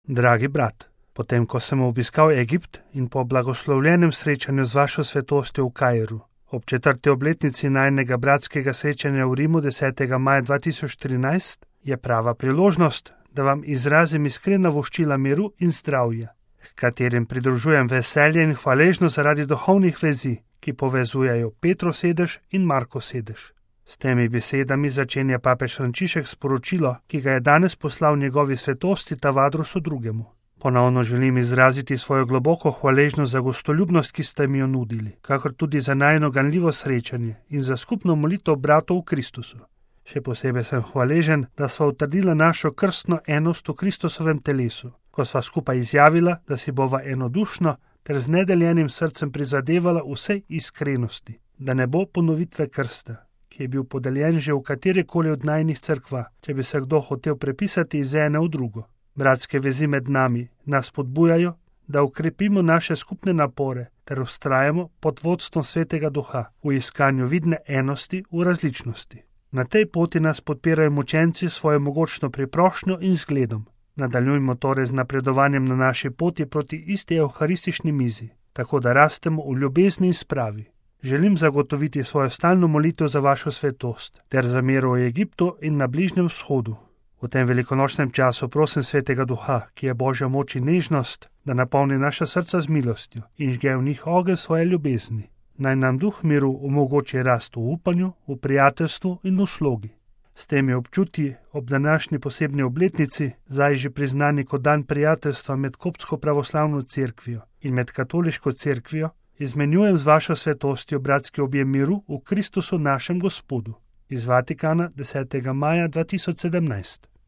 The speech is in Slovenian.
Dragi brat, potem ko sem obiskal Egipt in po blagoslovljenem srečanju z vašo svetostjo v Kairu, ob 4. obletnici najnega bratskega srečanja v Rimu 10. maja 2013, je prava priložnost, da vam izrazim iskrena voščila miru in zdravja, katerim pridružujem veselje in hvaležnost zaradi duhovnih vezi, ki povezujejo Petrov sedež in Markov sedež. S temi besedami začenja papež Frančišek sporočilo, ki ga je danes poslal njegovi svetosti Tavadrusu II. Ponovno želim izraziti svojo globoko hvaležnost za gostoljubnost, ki ste mi jo nudili, kakor tudi za najino ganljivo srečanje in za skupno molitev bratov v Kristusu. Še posebej sem hvaležen, da sva utrdila našo krstno enost v Kristusovem telesu, ko sva skupaj izjavila, da si bova enodušno ter z nedeljenim srcem prizadevala vsej iskrenosti, da ne bo ponovitve krsta, ki je bil podeljen že v katerikoli od najnih cerkva, če bi se kdo hotel prepisati iz ene v drugo. Bratske vezi med nami nas podbujajo, da ukrepimo naše skupne napore ter vztrajamo pod vodstvom Svetega Duha v iskanju vidne enosti v različnosti. Na tej poti nas podpirajo mučenci s svojo mogočno priprošnjo in zgledom. Nadaljujmo torej z napredovanjem na naši poti proti isti evharistični mizi, tako da rastemo v ljubezni in spravi. Želim zagotoviti svojo stalno molitev za vašo svetost ter za mir v Egiptu in na Bližnjem vzhodu. V tem velikonočnem času prosim Svetega Duha, ki je Božja moč in nežnost, da napolni naša srca z milostjo in žge v njih ogenj svoje ljubezni. Naj nam Duh miru omogoči rast v upanju, v prijateljstvu in v slogi. S temi občutji ob današnji posebni obletnici, zdaj že priznani kot dan prijateljstva med koptsko pravoslavno cerkvijo in med katoliško cerkvijo, izmenjujem z vašo svetostjo bratski objem miru v Kristusu našem Gospodu. Iz Vatikana 10. maja 2017.